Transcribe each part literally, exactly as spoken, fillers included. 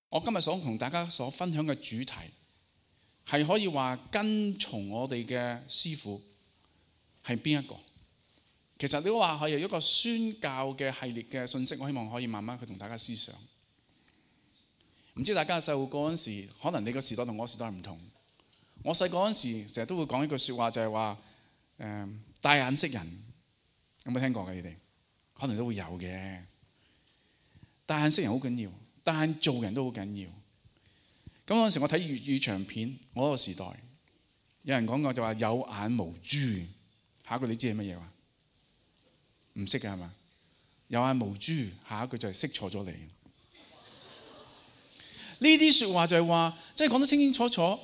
我今日想同大家所分享嘅主題係可以話跟從我哋嘅師傅係邊一個？其實你都話係一個宣教嘅系列嘅信息，我希望可以慢慢去同大家思想。唔知大家細個嗰陣時，可能你個時代同我時代唔同。我細個嗰陣時，成日都會講一句説話，就係話誒帶眼識人，有冇聽過嘅？你哋可能都會有嘅。帶眼識人好緊要，帶眼做人都好緊要。咁嗰陣時我睇粵語長片，我嗰個時代有人講過就話有眼無珠。下一句你知係乜嘢話？唔識嘅係嘛？有眼無珠，下一句就係識錯咗你。呢啲説話就係話，即係講得清清楚楚，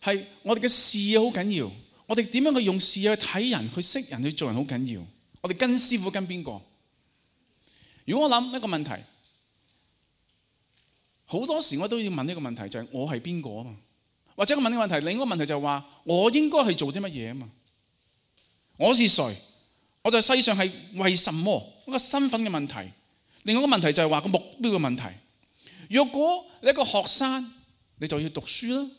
係我哋嘅視野好緊要。我哋點樣去用視野去睇人、去識人、去做人好緊要。我哋跟師傅跟邊個？如果我諗一個問題，好多時我都要問呢個問題，就係我係邊個啊嘛？或者我問呢個問題，另一個問題就係話我應該係做啲乜嘢啊嘛？我是誰？我在世上係為什麼？一個身份嘅問題。另外一個問題就係話個目標嘅問題。若果你係一個學生，你就要讀書啦；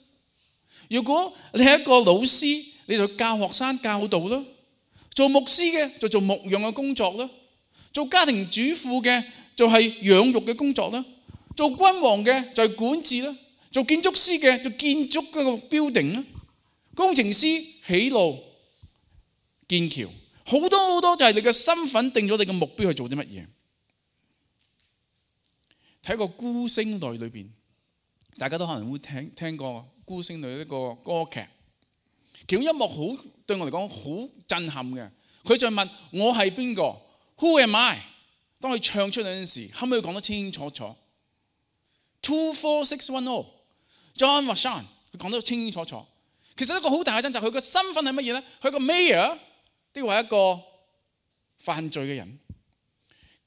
如果你係一個老師，你就要教學生教導啦；做牧師嘅就做牧養嘅工作啦；做家庭主婦嘅就係養育嘅工作啦；做君王嘅就係管治啦；做建築師嘅就建築嗰個 building 啦；工程師起路建橋，好多好多就係你嘅身份定咗你嘅目標去做啲乜嘢。睇個孤星淚裏邊，大家都可能會聽聽過孤星淚呢個歌劇，其中一幕好對我嚟講好震撼嘅。佢就問我係邊個 ？Who am I？ 當佢唱出嚟嗰陣時，可唔可以講得清清楚楚 ？Two four six one zero John Vachon， 佢講得清清楚楚。其實一個好大嘅掙扎，佢個身份係乜嘢咧？佢個 mayor， 定係一個犯罪嘅人？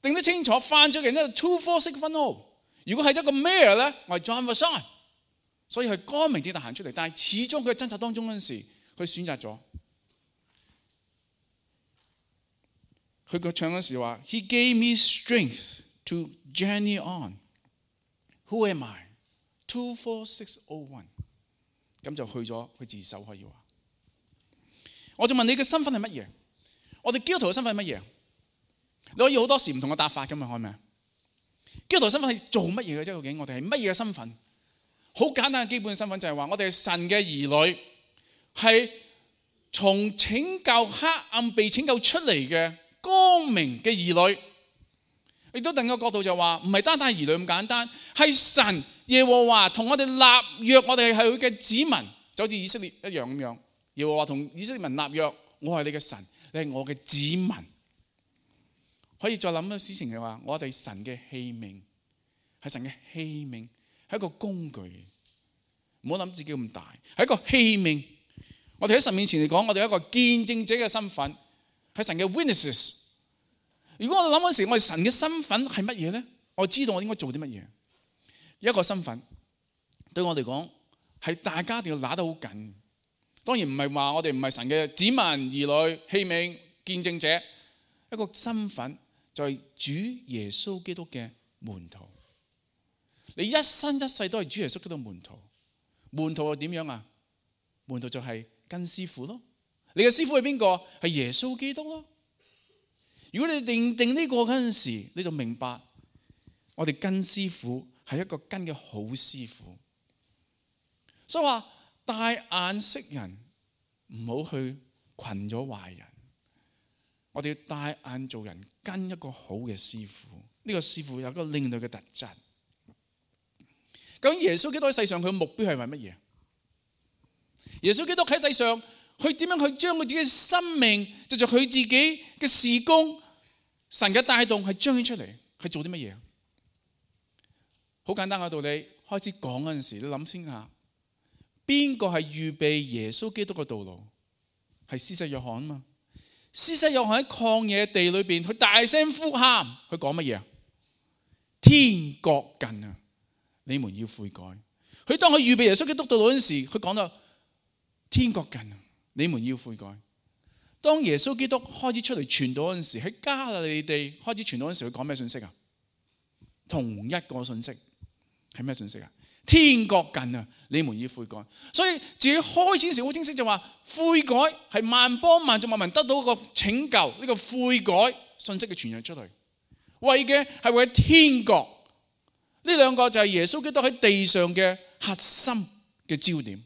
定得清楚，犯罪嘅人咧 two four six one zero。如果係一個 mayor 咧，我係 John Vachon， 所以佢光明正大行出嚟。但係始終佢喺掙扎當中嗰陣時，佢選擇咗。佢個唱嗰時話 ：He gave me strength to journey on. Who am I? Two four six zero one。咁就去咗，佢自首可以話。我就問你嘅身份係乜嘢？我哋基督徒嘅身份係乜嘢？你可以好多時唔同嘅答法㗎嘛，係咪啊？基督徒身份係做乜嘢嘅啫？究竟我哋係乜嘢嘅身份？好簡單嘅基本嘅身份就係話，我哋係神嘅兒女，係從拯救黑暗被拯救出嚟嘅光明嘅兒女。亦都另一個角度就話，唔係單單係兒女咁簡單，係神耶和華同我哋立約，我哋係佢嘅子民，就好似以色列一樣咁樣。耶和華同以色列民立約，我係你嘅神，你係我嘅子民。可以再諗到事情嘅話，我哋神嘅器皿，係神嘅器皿，係一個工具。唔好諗自己咁大，係一個器皿。我哋喺神面前嚟講，我哋有一個見證者嘅身份，係神嘅 witnesses。如果我哋諗嗰時，我哋神嘅身份係乜嘢咧？我知道我應該做啲乜嘢。一個身份對我嚟講，係大家一定要拿得好緊。當然唔係話我哋唔係神嘅子民、兒女、器皿、見證者。一個身份就係主耶穌基督嘅門徒。你一生一世都係主耶穌基督門徒。門徒係點樣啊？門徒就係跟師傅咯。你嘅師傅係邊個？係耶穌基督咯。如果你認定呢個嗰陣時，你就明白我哋跟師傅係一個跟嘅好師傅。所以話帶眼識人，唔好去群咗壞人。我哋要帶眼做人，跟一個好嘅師傅。呢個師傅有一個另類嘅特質。咁耶穌基督喺世上佢嘅目標係為乜嘢？耶穌基督喺世上，佢點樣去將佢自己嘅生命，就做佢自己嘅事工，神嘅帶動係彰顯出嚟，係做啲乜嘢？好簡單嘅道理，開始講嗰陣時，你諗先下，邊個係預備耶穌基督嘅道路？係施洗約翰啊嘛。施洗約翰喺曠野地裏邊，佢大聲呼喊，佢講乜嘢啊？天國近啊，你們要悔改。佢當佢預備耶穌基督道路嗰陣時，佢講到天國近啊，你們要悔改。當耶穌基督開始出嚟傳道嗰陣時，喺加利利地開始傳道嗰陣時，佢講咩信息啊？同一個信息，係咩信息啊？天國近啊，你們要悔改。所以自己開始時好清晰就話，悔改係萬邦萬族萬民得到一個拯救，呢個悔改信息嘅傳揚出去，為嘅係為天國。呢兩個就係耶穌基督喺地上嘅核心嘅焦點。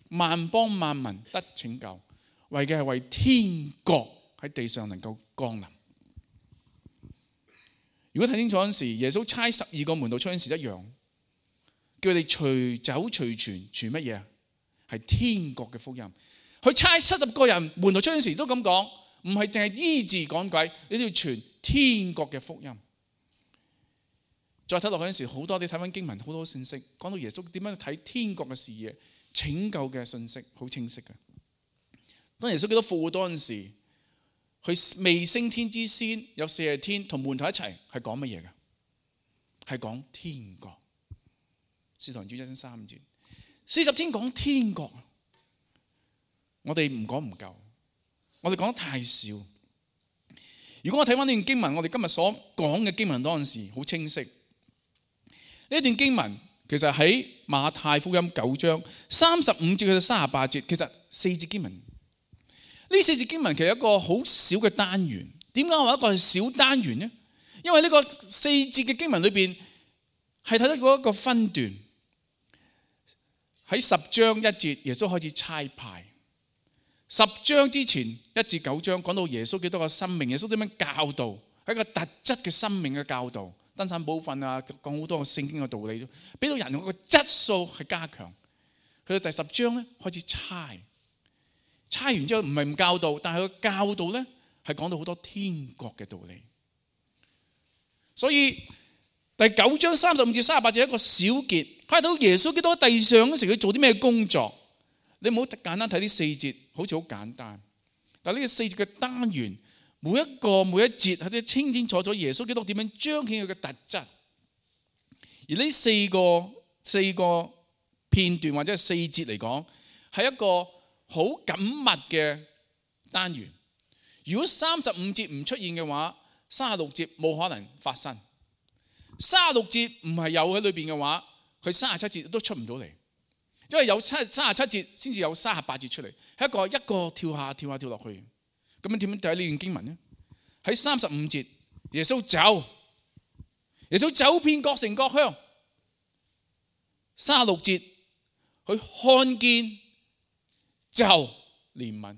萬邦萬民得拯救，為嘅係為天國喺地上能夠降臨。如果睇清楚嗰陣時，耶穌差十二個門徒出嗰陣時一樣，叫佢哋隨走隨傳，傳乜嘢啊？係天國嘅福音。佢差七十個人門徒出嗰陣時都咁講，唔係淨係醫治趕鬼，你都要傳天國嘅福音。再睇落去嗰陣時，好多你睇翻經文，好多信息講到耶穌點樣睇天國嘅視野、拯救嘅信息，好清晰嘅。當耶穌基督復活嗰陣時，佢未升天之先有四十天同門徒一齊，係講乜嘢嘅？係講天國。使徒行傳一章三節，四十天講天國，我哋唔講唔夠，我哋講得太少。如果我睇翻呢段經文，我哋今日所講嘅經文嗰陣時好清晰。呢段經文其實喺馬太福音九章三十五節去到三十八節，其實四節經文。呢四節經文其實一個好小嘅單元。點解我話一個係小單元呢？因為呢個四節嘅經文裏邊係睇到嗰一個分段。喺十章一節，耶穌開始差派。十章之前一至九章講到耶穌基督嘅生命，耶穌點樣教導，係一個特質嘅生命嘅教導。登山寶訓啊，講好多聖經嘅道理，俾到人個質素係加強。去到第十章咧，開始差。差完之後唔係唔教導，但係佢教導咧係講到好多天國嘅道理。所以第九章三十五至三十八節一個小結，睇到耶穌基督喺地上嗰時佢做啲咩工作。你唔好簡單睇呢四節，好似好簡單。但係呢個四節嘅單元，每一個每一節係都清清楚楚耶穌基督點樣彰顯佢嘅特質。而呢四個四個片段或者係四節嚟講，係一個好緊密嘅單元。如果三十五節唔出現嘅話，三十六節冇可能發生。三十六節唔係有喺裏邊嘅話，佢三十七節都出唔到嚟，因為有七三十七節先至有三十八節出嚟，係一個一個跳下跳下跳落去。咁樣點樣睇呢段經文呢？喺三十五節，耶穌走，耶穌走遍各城各鄉。三十六節，佢看見就憐憫。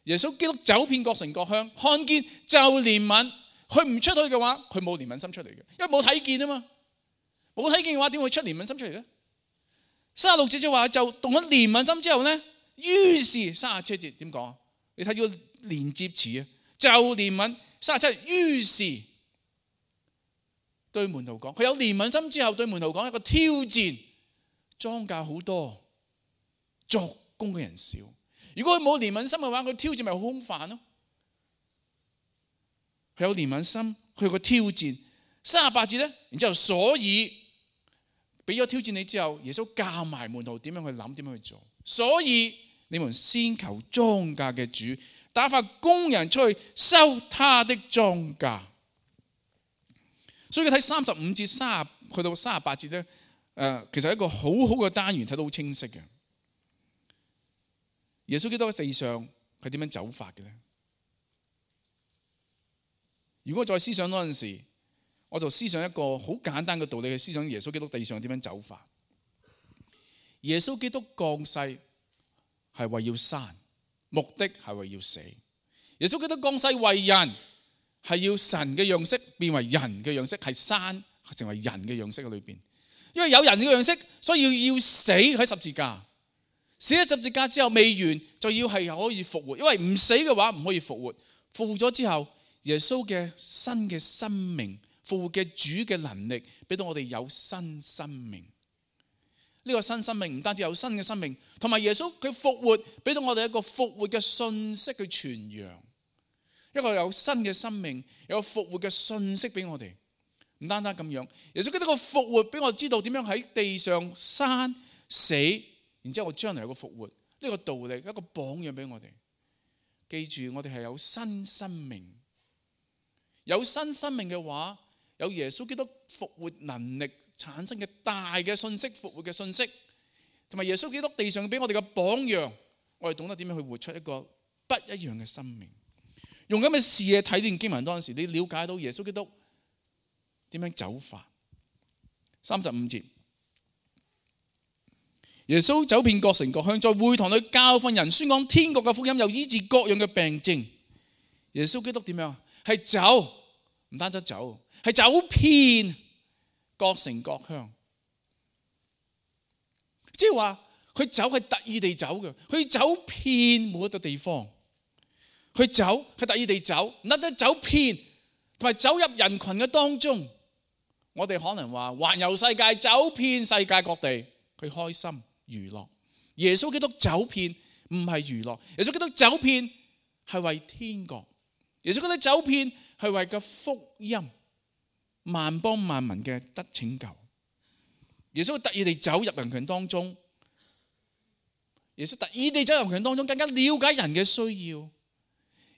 耶穌基督走遍各城各鄉，看見就憐憫。佢唔出去嘅話，佢冇憐憫心出嚟嘅，因為冇睇見啊嘛。冇睇見嘅話，點會出憐憫心出嚟咧？三十六節就話就動咗憐憫心之後咧，於是三十七節點講啊？你睇住個連接詞啊，就憐憫。三十七，於是對門徒講，佢有憐憫心之後對門徒講一個挑戰，莊稼好多，作工嘅人少。如果佢冇憐憫心嘅話，佢挑戰咪好空泛咯。佢有憐憫心，佢有個挑戰。三十八節咧，然之後所以俾咗挑戰你之後，耶穌教埋門徒點樣去諗，點樣去做。所以你們先求莊稼嘅主，打發工人出去收他的莊稼。所以睇三十五至三十去到三十八節咧，誒，其實係一個好好嘅單元，睇到好清晰嘅。耶穌基督喺世上係點樣走法嘅咧？如果我再思想嗰陣時，我就思想一個好簡單嘅道理去思想耶穌基督地上點樣走法。耶穌基督降世係為要生，目的係為要死。耶穌基督降世為人，係要神嘅樣式變為人嘅樣式，係生成為人嘅樣式喺裏邊。因為有人嘅樣式，所以要要死喺十字架。死喺十字架之後未完，就要係可以復活。因為唔死嘅話唔可以復活。復活咗之後，耶穌嘅新嘅生命，復活嘅主嘅能力，俾到我哋有新生命。呢個新生命唔單止有新嘅生命，同埋耶穌佢復活，俾到我哋一個復活嘅信息去傳揚。一個有新嘅生命，有復活嘅信息俾我哋。唔單單咁樣，耶穌基督個復活俾我知道點樣喺地上生死，然之後我將來有個復活。呢個道理一個榜樣俾我哋。記住，我哋係有新生命。有新生命嘅話，有耶穌基督復活能力產生嘅大嘅信息，復活嘅信息，同埋耶穌基督地上俾我哋嘅榜樣，我哋懂得點樣去活出一個不一樣嘅生命。用咁嘅視野睇呢段經文當時，你了解到耶穌基督點樣走法。三十五節，耶穌走遍各城各鄉，在會堂裏教訓人，宣講天國嘅福音，又醫治各樣嘅病症。耶穌基督點樣？係走，唔單止走，係走遍各城各鄉。即係話佢走係特意地走嘅，佢走遍每一個地方。佢走係特意地走，唔單止走遍，同埋走入人群嘅當中。我哋可能話環遊世界，走遍世界各地，去開心娛樂。耶穌基督走遍唔係娛樂，耶穌基督走遍係為天國。耶穌基督走遍係為個福音，萬邦萬民嘅得拯救。耶穌特意地走入人群當中，耶穌特意地走入人群當中，更加了解人嘅需要。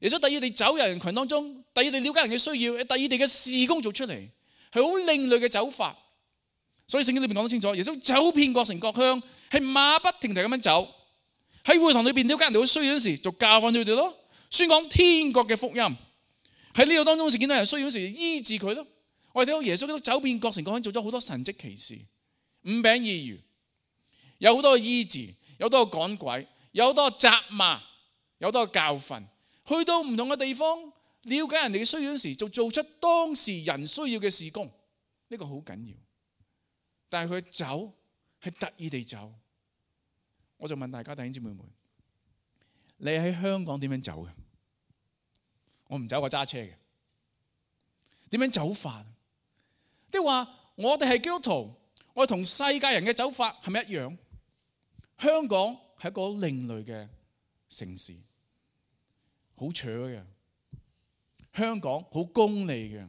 耶穌特意地走入人群當中，特意地了解人嘅需要，特意地嘅事工做出嚟，係好另類嘅走法。所以聖經裏面講得清楚，耶穌走遍各城各鄉，係馬不停蹄咁樣走。喺會堂裏邊了解人哋嘅需要嗰時，就教訓佢哋咯，宣講天國嘅福音。喺呢個當中，見到人需要嗰時，醫治佢咯。我哋睇到耶穌都走遍各城各鄉，做咗好多神蹟奇事，五餅二魚，有好多嘅醫治，有好多嘅趕鬼，有好多嘅責罵，有好多嘅教訓。去到唔同嘅地方，了解人哋嘅需要嗰時，就做出當時人需要嘅事工，呢個好緊要。但係佢走係特意地走。我就問大家弟兄姊妹們，你喺香港點樣走嘅？我唔走，我揸車嘅。點樣走法？即係話我哋係基督徒，我哋同世界人嘅走法係咪一樣？香港係一個另類嘅城市。好扯嘅，香港好功利嘅，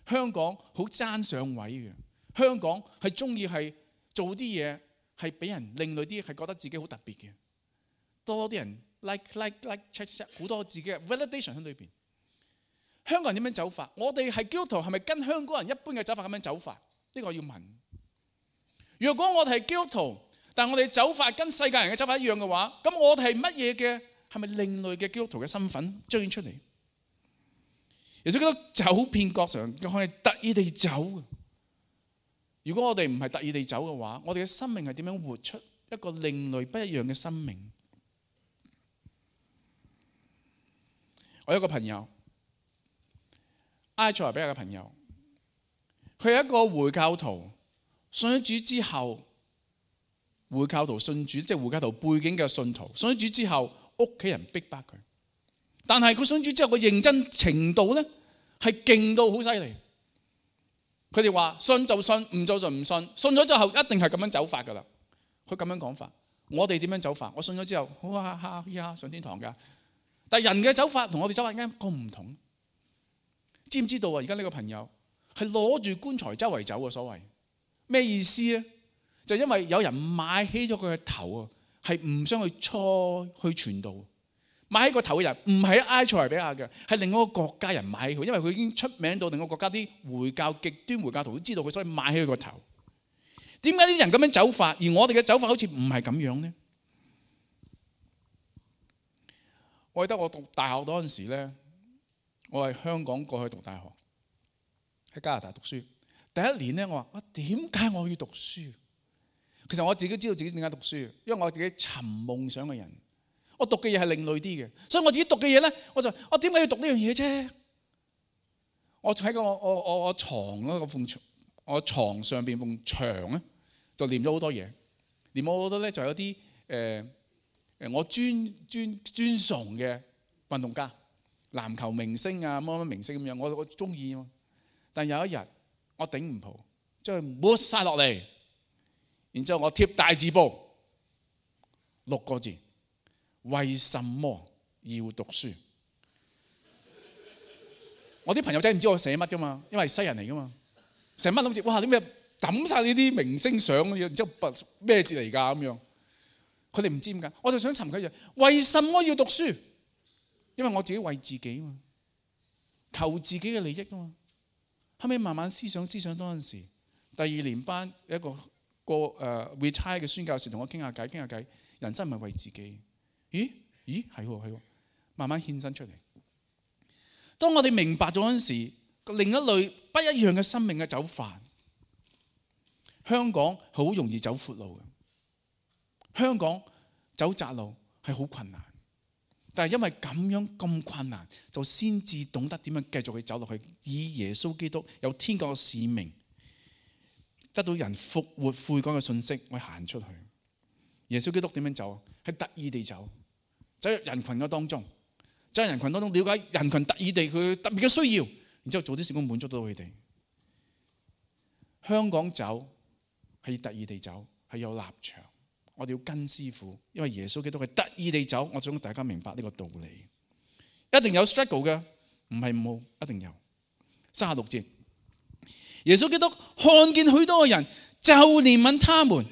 香港好爭上位嘅，香港係中意係做啲嘢係俾人另類啲，係覺得自己好特別嘅，多啲人 like like like check check 好多自己嘅 validation 喺裏邊。香港人點樣走法？我哋係基督徒係咪跟香港人一般嘅走法咁樣走法？呢個我要問。如果我哋係基督徒，但我哋走法跟世界人嘅走法一樣嘅話，咁我哋係乜嘢嘅？係咪另類嘅基督徒嘅身份彰顯出嚟？耶穌基督走遍各城，佢係特意地走嘅。如果我哋唔係特意地走嘅話，我哋嘅生命係點樣活出一個另類不一樣嘅生命？我有一個朋友，埃塞俄比亞嘅朋友，佢係一個回教徒，信咗主之後，回教徒信主，即係回教徒背景嘅信徒，信咗主之後，屋企人逼迫佢，但係佢信主之後個認真程度咧係勁到好犀利。佢哋話信就信，唔做就唔信，信咗之後一定係咁樣走法噶啦。佢咁樣講法，我哋點樣走法？我信咗之後，好哈哈呀上天堂噶。但係人嘅走法同我哋走法啱個唔同。知唔知道啊？而家呢個朋友係攞住棺材周圍走嘅，所謂咩意思咧？就因為有人買起咗佢嘅頭啊！係唔想去初去傳道，買起個頭嘅人唔係埃塞俄比亞嘅，係另外一個國家人買起佢，因為佢已經出名到另外一個國家啲回教極端回教徒都知道佢，所以買起佢個頭。點解啲人咁樣走法，而我哋嘅走法好似唔係咁樣呢？我記得我讀大學嗰陣時咧，我係香港過去讀大學，喺加拿大讀書。第一年咧，我話：我點解我要讀書？其實我自己知道自己點解讀書，因為我自己尋夢想嘅人，我讀嘅嘢係另類啲嘅，所以我自己讀嘅嘢咧，我就我點解要讀呢樣嘢啫？我喺個我我我我牀嗰個埲牆，我牀上邊埲牆咧，就念咗好多嘢，念咗好多咧，就有啲誒誒我尊尊尊崇嘅運動家、籃球明星啊，乜乜明星咁樣，我我中意啊嘛。但有一日我頂唔住，將佢抹晒落嚟。然之後我貼大字報六個字：為什麼要讀書？我啲朋友仔唔知我寫乜噶嘛，因為係西人嚟噶嘛，成班諗住哇點解抌晒呢啲明星相嘅嘢，然之後咩字嚟㗎咁樣？佢哋唔知點解，我就想尋佢就為什麼要讀書？因為我自己為自己嘛，求自己嘅利益啊嘛。後尾慢慢思想思想嗰陣時，第二年班一個個誒 retire 嘅宣教士同我傾下偈傾下偈，人生唔係為自己，咦咦係喎係喎，慢慢獻身出嚟。當我哋明白咗嗰陣時，另一類不一樣嘅生命嘅走法，香港好容易走闊路嘅，香港走窄路係好困難。但係因為咁樣咁困難，就先至懂得點樣繼續去走落去，以耶穌基督有天國嘅使命，得到人復活悔改嘅信息，我行出去。耶穌基督點樣走？係特意地走，走入人群嘅當中，走入人群當中，了解人群特意地佢特別嘅需要，然之後做啲事工滿足到佢哋。香港走係特意地走，係有立場。我哋要跟師傅，因為耶穌基督係特意地走。我想大家明白呢個道理，一定有 struggle 嘅，唔係冇，一定有。三十六節，耶穌基督看見許多嘅人，就憐憫他們。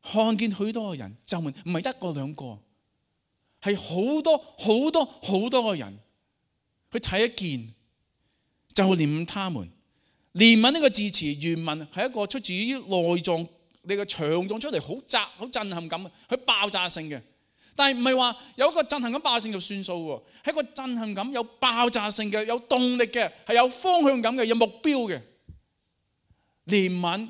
看見許多嘅人，就憐，唔係一個兩個，係好多好多好多嘅人，佢睇一見就憐憫他們。憐憫呢個字詞原文係一個出自於內臟。你個腸臟出嚟好窄好震撼感，佢爆炸性嘅，但係唔係話有一個震撼感爆炸性就算數喎，係一個震撼感有爆炸性嘅，有動力嘅，係有方向感嘅，有目標嘅。憐憫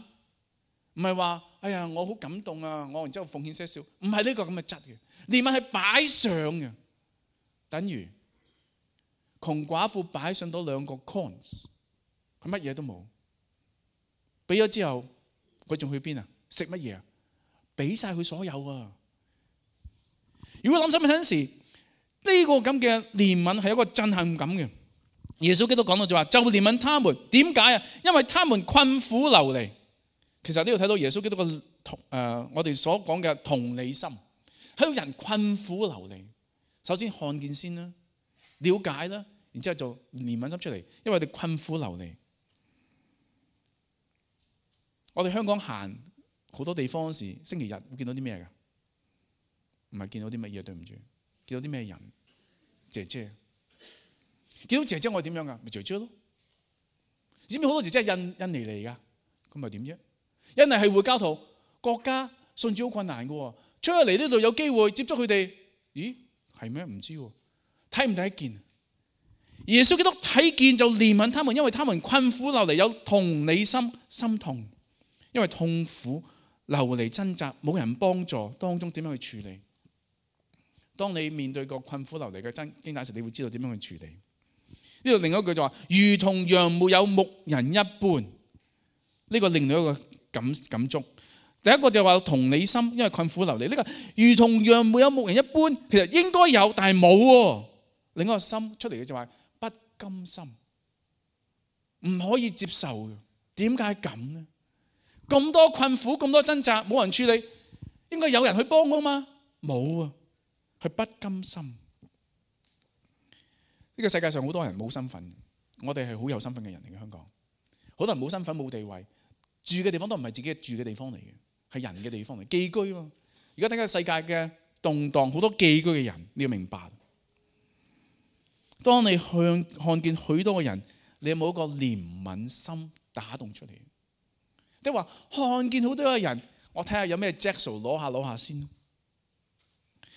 唔係話哎呀我好感動啊，我然之後奉獻些少，唔係呢個咁嘅質嘅。憐憫係擺上嘅，等於窮寡婦擺上到兩個 coins， 佢乜嘢都冇，俾咗之後佢仲去邊啊？食乜嘢啊？俾晒佢所有啊！如果諗深一陣時，呢個咁嘅憐憫係一個震撼感嘅。耶穌基督講到就話，就憐憫他們。點解啊？因為他們困苦流離。其實呢度睇到耶穌基督嘅同誒，我哋所講嘅同理心，喺度人困苦流離。首先看見先啦，了解啦，然之後就憐憫心出嚟，因為佢哋困苦流離。我哋香港行好多地方嗰時，星期日會見到啲咩㗎？唔係見到啲乜嘢，對唔住，見到啲咩人？姐姐，見到姐姐我係點樣㗎？咪姐姐咯。知唔知好多姐姐係印印尼嚟㗎？咁咪點啫？印尼係回教徒國家，信主好困難㗎喎。出咗嚟呢度有機會接觸佢哋，咦係咩？唔知喎，睇唔睇得見？耶穌基督睇見就憐憫他們，因為他們困苦流離，有同理心，心痛。因為痛苦流離掙扎，冇人幫助，當中點樣去處理？當你面對個困苦流離嘅經歷時，你會知道點樣去處理。呢度另一句就話，如同羊沒有牧人一般。呢、這個另外一個感感觸。第一個就話同理心，因為困苦流離。呢、這個如同羊沒有牧人一般，其實應該有，但係冇。另一個心出嚟嘅就話不甘心，唔可以接受嘅。點解咁呢？咁多困苦，咁多掙扎，冇人處理，應該有人去幫㗎嘛？冇啊，佢不甘心。呢個世界上好多人冇身份，我哋係好有身份嘅人嚟嘅。香港好多人冇身份冇地位，住嘅地方都唔係自己住嘅地方嚟嘅，係人嘅地方嚟，寄居嘛。而家睇下世界嘅動盪，好多寄居嘅人，你要明白。當你向看見許多嘅人，你有冇一個憐憫心打動出嚟？即係話看見好多嘅人，我睇下有咩 Jackson 攞下攞下先。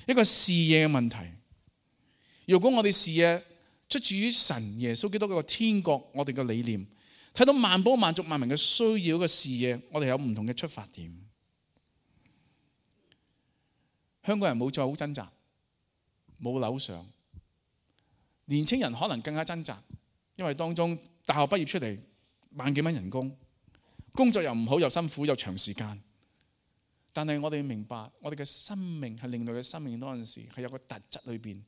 一個視野嘅問題。如果我哋視野出自於神耶穌基督嗰個天國，我哋嘅理念睇到萬邦萬族萬民嘅需要嘅視野，我哋有唔同嘅出發點。香港人冇再好掙扎，冇樓上。年青人可能更加掙扎，因為當中大學畢業出嚟萬幾蚊人工。工作又唔好，又辛苦，又長時間。但係我哋明白，我哋嘅生命係另類嘅生命，嗰陣時係有個特質裏邊，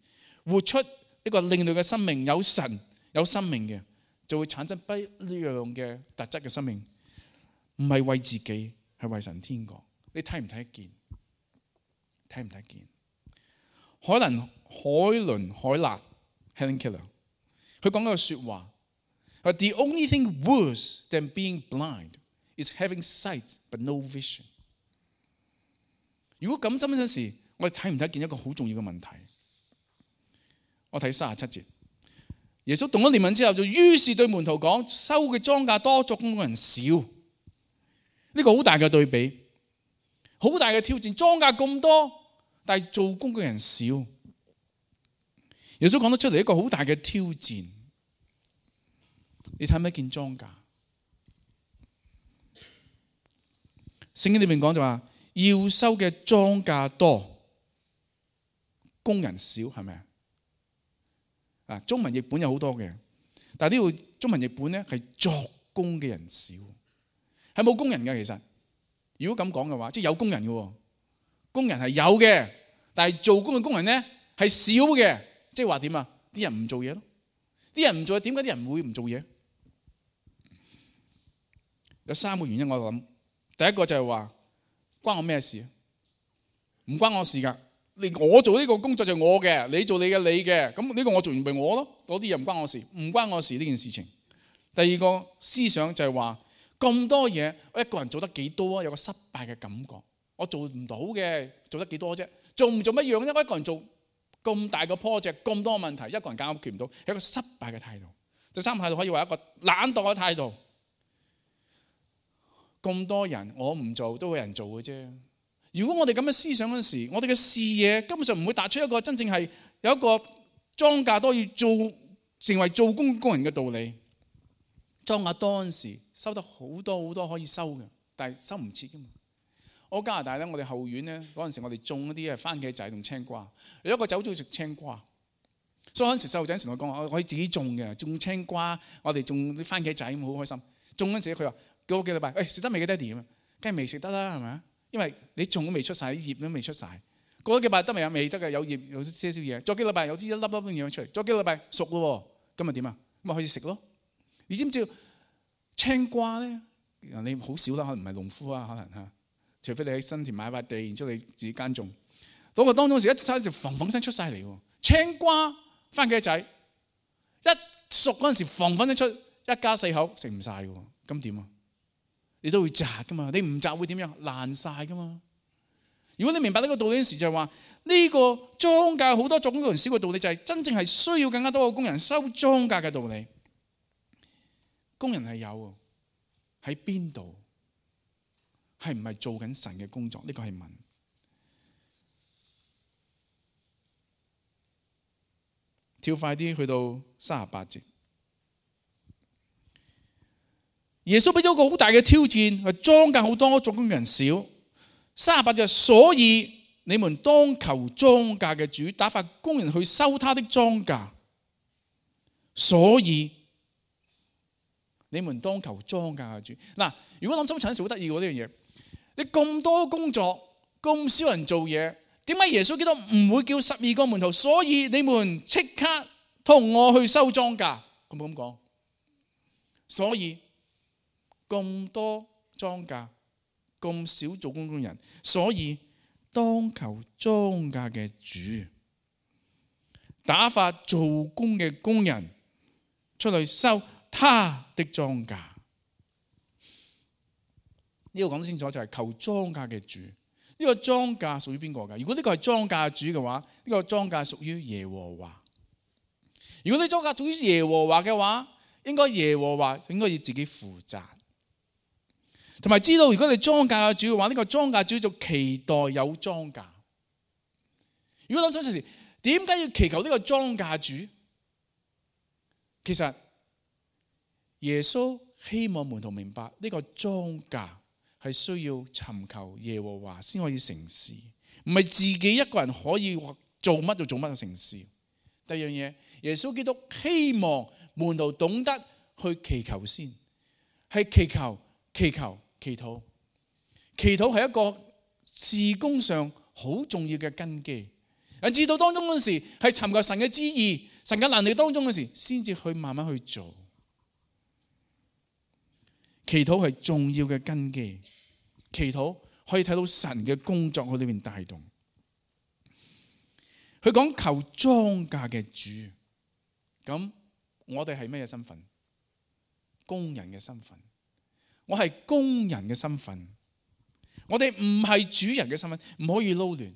活出一個另類嘅生命，有神有生命嘅，就會產生不一樣嘅特質嘅生命。唔係為自己，係為神天國。你睇唔睇得見？睇唔睇得見？海倫海倫海納 Helen Keller， 佢講嗰句說話：The only thing worse than being blind is having sight but no vision。如果咁真真時，我哋睇唔睇見一個好重要嘅問題？我睇三十七節，耶穌動咗憐憫之後，就於是對門徒講：收嘅莊稼多，作工嘅人少。呢個好大嘅對比，好大嘅挑戰。莊稼咁多，但係做工嘅人少。耶穌講得出嚟一個好大嘅挑戰。你睇唔睇見莊稼？聖經裏面講就話，要收嘅莊稼多，工人少，係咪啊？啊，中文譯本有好多嘅，但係呢度中文譯本咧係作工嘅人少，係冇工人嘅。其實如果咁講嘅話，即係有工人嘅，工人係有嘅，但係做工嘅工人咧係少嘅。即係話點啊？啲人唔做嘢咯，啲人唔做嘢，點解啲人會唔做嘢？有三個原因我諗，第一個就係話關我咩事啊？唔關我事噶。你我做呢個工作就係我嘅，你做你嘅你嘅，咁呢個我做完咪我咯，嗰啲又唔關我事，唔關我事呢件事情。第二個思想就係話咁多嘢，我一個人做得幾多啊？有個失敗嘅感覺，我做唔到嘅，做得幾多啫？做唔做乜樣啫？我一個人做咁大個 project， 咁多問題，一個人解決唔到，係一個失敗嘅態度。第三個態度可以話一個懶惰嘅態度。咁多人我唔做都會有人做嘅啫。如果我哋咁嘅思想嗰時，我哋嘅視野根本上唔會達出一個真正係有一個莊稼多要做成為做工工人嘅道理。莊稼多嗰時收得好多好多可以收嘅，但係收唔切噶嘛。我加拿大咧，我哋後院咧嗰陣時，我哋種一啲啊番茄仔同青瓜。有一個走咗去食青瓜，所以嗰陣時細路仔成日講我可以自己種嘅，種青瓜，我哋種啲番茄仔咁好開心。種嗰陣時佢話過幾個禮拜，誒食得未嘅爹哋咁啊？梗係未食得啦，係咪啊？因為你種都未出晒，啲葉都未出晒。過咗幾禮拜得未啊？未得嘅，有葉有些少嘢。再幾禮拜有啲一粒粒咁樣出嚟。再幾禮拜熟咯，咁咪點啊？咁咪可以食咯。你知唔知青瓜咧？你好少啦，可能唔係農夫啊，可能嚇。除非你喺新田買塊地，然之後你自己耕種。嗰個當中時一睇就嘭嘭聲出晒嚟喎。青瓜、番茄仔一熟嗰陣時，嘭嘭聲出，一家四口食唔晒嘅喎。咁點啊？你都會摘噶嘛？你唔摘會點樣？爛晒噶嘛？如果你明白呢個道理嗰時，就係話呢個莊稼好多作工人少嘅道理，就係真正係需要更加多嘅工人收莊稼嘅道理。工人係有喺邊度？係唔係做緊神嘅工作？呢個係問。跳快啲去到三十八節。耶穌俾咗個好大嘅挑戰，係莊稼好多，作工人少。三十八節，所以你們當求莊稼嘅主打發工人去收他的莊稼。所以你們當求莊稼嘅主。嗱，如果諗深層時好得意喎呢樣嘢。你咁多工作，咁少人做嘢，點解耶穌基督唔會叫十二個門徒？所以你們即刻同我去收莊稼，佢冇咁講。所以咁多莊稼，咁少做工工人，所以當求莊稼嘅主打發做工嘅工人出嚟收他的莊稼。呢個講得清楚，就係求莊稼嘅主。呢個莊稼屬於邊個㗎？如果呢個係莊稼主嘅話，呢個莊稼屬於耶和華。如果呢莊稼屬於耶和華嘅話，應該耶和華應該要自己負責。同埋知道，如果你莊稼嘅主嘅話，呢個莊稼主就期待有莊稼。如果諗清楚時，點解要祈求呢個莊稼主？其實耶穌希望門徒明白呢個莊稼係需要尋求耶和華先可以成事，唔係自己一個人可以做乜就做乜嘅成事。第二樣嘢，耶穌基督希望門徒懂得去祈求先，係祈求、祈求、祈禱。祈禱係一個事工上好重要嘅根基。人知道當中嗰時係尋求神嘅旨意、神嘅能力當中嗰時，先至去慢慢去做。祈禱係重要嘅根基，祈禱可以睇到神嘅工作喺裏面帶動。佢講求莊稼嘅主，咁我哋係咩身份？工人嘅身份。我係工人嘅身份，我哋唔係主人嘅身份，唔可以撈亂。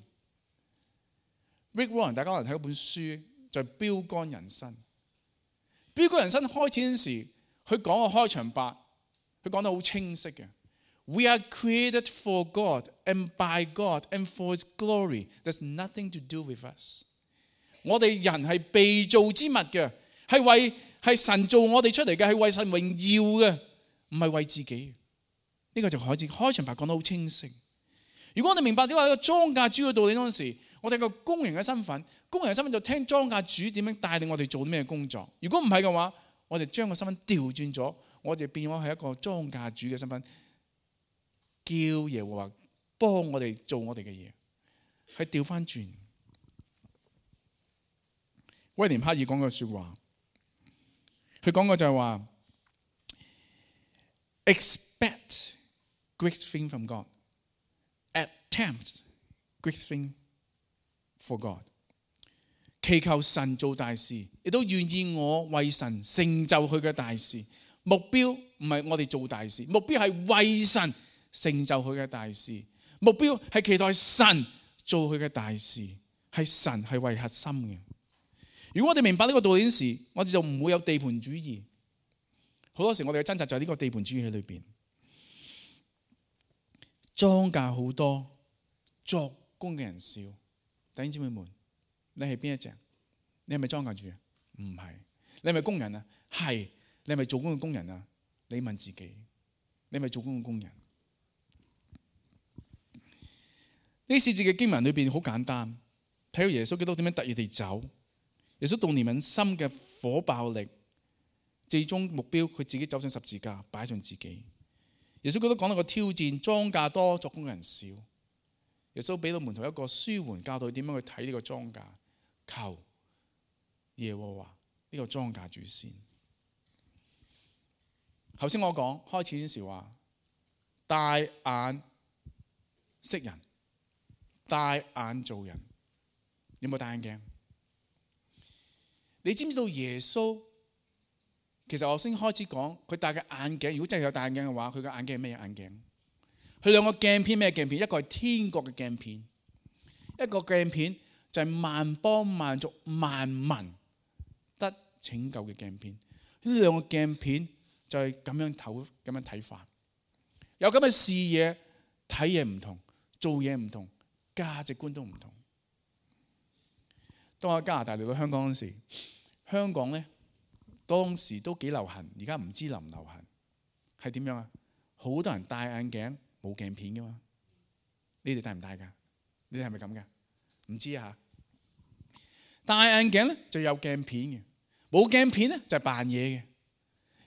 Rick Warren 大家可能睇一本書，就係標竿人生。標杆人生開始嗰陣時，佢講個開場白，佢講得好清晰嘅。We are created for God and by God and for His glory. There's nothing to do with us. 我哋人係被造之物嘅，係為係神造我哋出嚟嘅，係為神榮耀嘅，唔係為自己。呢個就開始開場白講得好清晰。如果我哋明白咗話一個莊稼主嘅道理嗰陣時，我哋個工人嘅身份，工人嘅身份就聽莊稼主點樣帶領我哋做啲咩工作。如果唔係嘅話，我哋將個身份調轉咗，我哋變咗係一個莊稼主嘅身份，叫耶和華幫我哋做我哋嘅嘢，係調翻轉。威廉克爾講句說話，佢講過就係話 expect great thing from God, attempt great thing for God。 祈求神做大事，亦都願意我為神成就佢嘅大事。目標唔係我哋做大事，目標係為神成就佢嘅大事。目標係期待神做佢嘅大事，係神係為核心嘅。如果我哋明白呢個道理時，我哋就唔會有地盤主義。好多時我哋嘅掙扎就係呢個地盤主義喺裏邊。莊稼好多，作工嘅人少。弟兄姊妹們，你係邊一隻？你係咪莊稼主啊？唔係。你係咪工人啊？係。你係咪做工嘅工人啊？你問自己，你係咪做工嘅工人？呢四節嘅經文裏邊好簡單，睇到耶穌基督點樣特意地走。耶穌動憐憫心嘅火爆力，最終目標佢自己走上十字架，擺上自己。耶穌基督講到個挑戰，莊稼多，作工嘅人少。耶穌俾到門徒一個舒緩教導，點樣去睇呢個莊稼，求耶和華呢個莊稼主先。頭先我講開始嗰時話，大眼識人，大眼做人。有冇戴眼鏡？你知唔知道耶穌？其實我先開始講佢戴嘅眼鏡。如果真係有戴眼鏡嘅話，佢嘅眼鏡係咩眼鏡？佢兩個鏡片咩鏡片？一個係天國嘅鏡片，一個鏡片就係萬邦萬族萬民得拯救嘅鏡片。呢兩個鏡片就係咁樣睇，咁樣睇法。有咁嘅視野，睇嘢唔同，做嘢唔同，價值觀都唔同。當我喺加拿大嚟到香港嗰時，香港咧當時都幾流行，而家唔知流唔流行。係點樣啊？好多人戴眼鏡冇鏡片噶嘛？你哋戴唔戴噶？你哋係咪咁噶？唔知啊。戴眼鏡咧就有鏡片嘅，冇鏡片咧就係扮嘢嘅。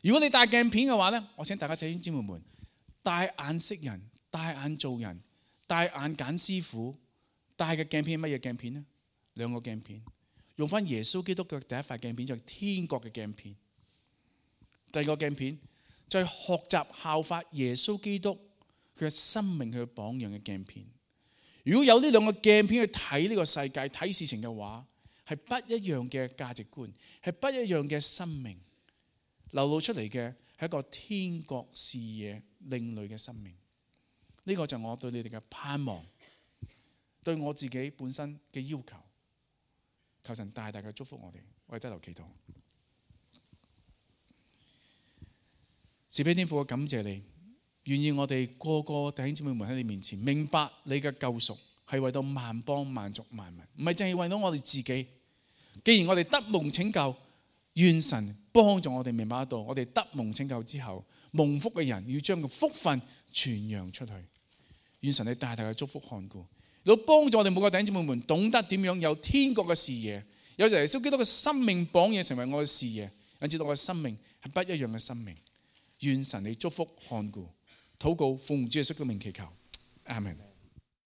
如果你戴鏡片嘅話咧，我請大家弟兄姊妹們，戴眼識人，戴眼做人，戴眼揀師傅。戴嘅鏡片係乜嘢鏡片呢？兩個鏡片，用翻耶穌基督嘅第一塊鏡片就係天國嘅鏡片。第二個鏡片就係學習效法耶穌基督佢嘅生命、佢嘅榜樣嘅鏡片。如果有呢兩個鏡片去睇呢個世界、睇事情嘅話，係不一樣嘅價值觀，係不一樣嘅生命，流露出嚟嘅係一個天國視野、另類嘅生命。呢個就係我對你哋嘅盼望，對我自己本身嘅要求。求神大大嘅祝福我哋，我哋低頭祈禱。慈悲天父，我感謝你，願意我哋個個弟兄姊妹們喺你面前明白你嘅救贖係為到萬邦萬族萬民，唔係淨係為到我哋自己。既然我哋得蒙拯救，願神幫助我哋明白得到，我哋得蒙拯救之後，蒙福嘅人要將個福分傳揚出去。願神你大大嘅祝福看顧，要幫助我哋每個弟兄姊妹們懂得點樣有天國嘅視野，有耶穌基督嘅生命榜樣成為我嘅視野，引致到我嘅生命係不一樣嘅生命。願神你祝福看顧，禱告奉主耶穌嘅名祈求，阿們。